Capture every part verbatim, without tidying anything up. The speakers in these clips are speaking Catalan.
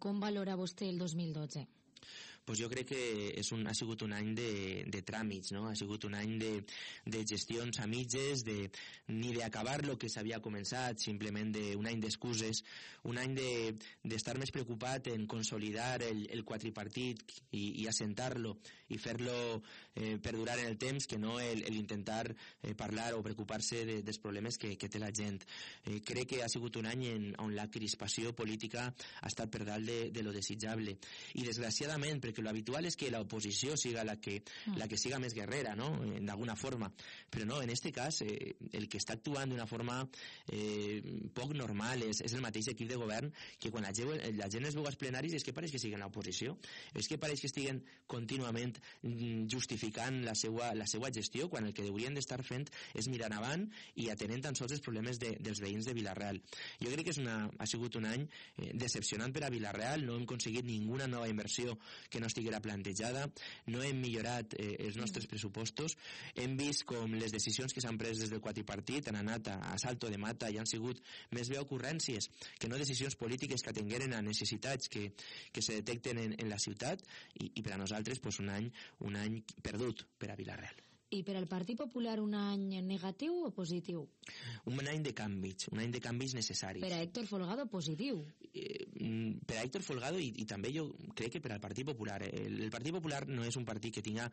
com valora vostè el dos mil dotze? Pues jo crec que és un, ha sigut un any de, de tràmits, no? Ha sigut un any de, de gestions a mitges, de, ni d'acabar el que s'havia començat, simplement de, un any d'excuses, un any d'estar de, més preocupat en consolidar el, el quadripartit i, i assentar-lo i fer-lo eh, perdurar en el temps, que no el, el intentar eh, parlar o preocupar-se de, dels problemes que, que té la gent. Eh, crec que ha sigut un any en, on la crispació política ha estat per dalt de, de lo desitjable. I desgraciadament, perquè lo habitual és que l'oposició siga la que, mm. la que siga més guerrera, no? D'alguna forma. Però no, en este cas, eh, el que està actuant d'una forma eh, poc normal és, és el mateix equip de govern que quan la gent, la gent es veu als plenaris és que pareix que siguen l'oposició. És que pareix que estiguen contínuament justificant la seva, la seva gestió, quan el que haurien d'estar fent és mirar avant i atenent tan sols els problemes de, dels veïns de Vila-real. Jo crec que és una, ha sigut un any eh, decepcionant per a Vila-real, no hem aconseguit ninguna nova inversió que no estiguera plantejada, no hem millorat eh, els nostres pressupostos, hem vist com les decisions que s'han pres des del quadripartit han anat a, a salto de mata i han sigut més bé ocurrències que no decisions polítiques que atengueren a necessitats que, que se detecten en, en la ciutat i, i per a nosaltres pues, un any un any perdut per a Vila-real. I per al Partit Popular un any negatiu o positiu? Un any de canvis, un any de canvis necessaris. Per a Héctor Folgado, positiu. Eh, per a Héctor Folgado i, i també jo crec que per al Partit Popular. El, el Partit Popular no és un partit que tinga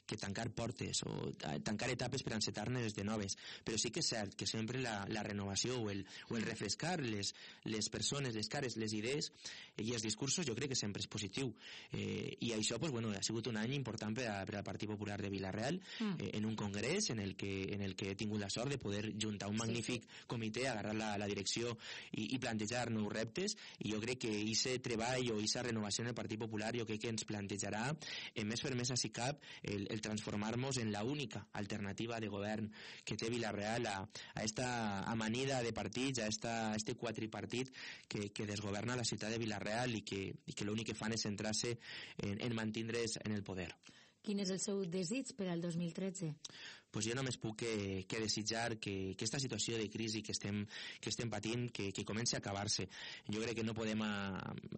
que tancar portes o tancar etapes per encetar-ne des de noves, però sí que és cert que sempre la, la renovació o el, o el refrescar les, les persones, les cares, les idees i els discursos jo crec que sempre és positiu. Eh, I això pues, bueno, ha sigut un any important per, a, per al Partit Popular de Vila-real, mm. eh, en un congrés en el que, en el que he tingut la sort de poder juntar un magnífic sí. comitè, agarrar la, la direcció i, i plantejar nous reptes, i jo crec que ese treball o esa renovació en el Partit Popular jo crec que ens plantejarà en més fermesa si cap el, el transformar-nos en la única alternativa de govern que té Vila-real a, a esta amanida de partits, a, esta, a este quadripartit que, que desgoverna la ciutat de Vila-real i que, i que l'únic que fan és centrar-se en, en mantindre's en el poder. Quin és el seu desig per al dos mil tretze? Pues jo només puc que, que desitjar que, que esta situació de crisi que estem, que estem patint que, que comenci a acabar-se. Jo crec que no podem a,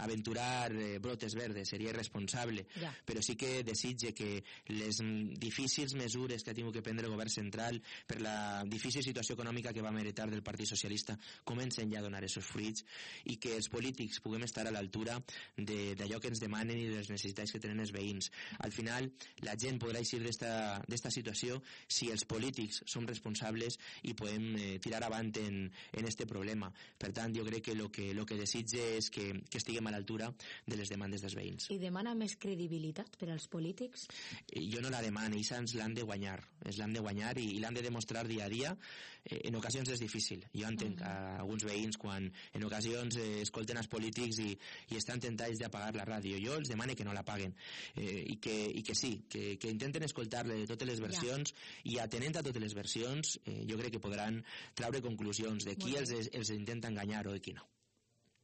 aventurar eh, brotes verdes, seria irresponsable, ja. Però sí que desitge que les difícils mesures que ha tingut que prendre el govern central per la difícil situació econòmica que vam heretar del Partit Socialista comencen ja a donar aquests fruits i que els polítics puguem estar a l'altura d'allò que ens demanen i de les necessitats que tenen els veïns. Al final, la gent podrà eixir d'esta situació si els polítics som responsables i podem eh, tirar avant en, en este problema. Per tant, jo crec que el que, lo que desitge és que, que estiguem a l'altura de les demandes dels veïns. I demana més credibilitat per als polítics? Eh, jo no la demano, ells ens l'han de guanyar. Es l'han de guanyar i, i l'han de demostrar dia a dia. Eh, en ocasions és difícil. Jo entenc uh -huh. a alguns veïns quan en ocasions eh, escolten els polítics i, i estan tentats d'apagar la ràdio. Jo els demano que no la paguen eh, i, que, i que sí, que, que intenten escoltar-le de totes les versions ja. I atenent a totes les versions eh, jo crec que podran traure conclusions de qui els, els intenta enganyar o de qui no.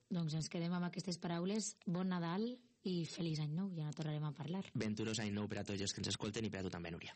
Doncs ens quedem amb aquestes paraules. Bon Nadal i feliç any nou, ja no tornarem a parlar. Venturós any nou per a tots els que ens escolten i per a tu també, Núria.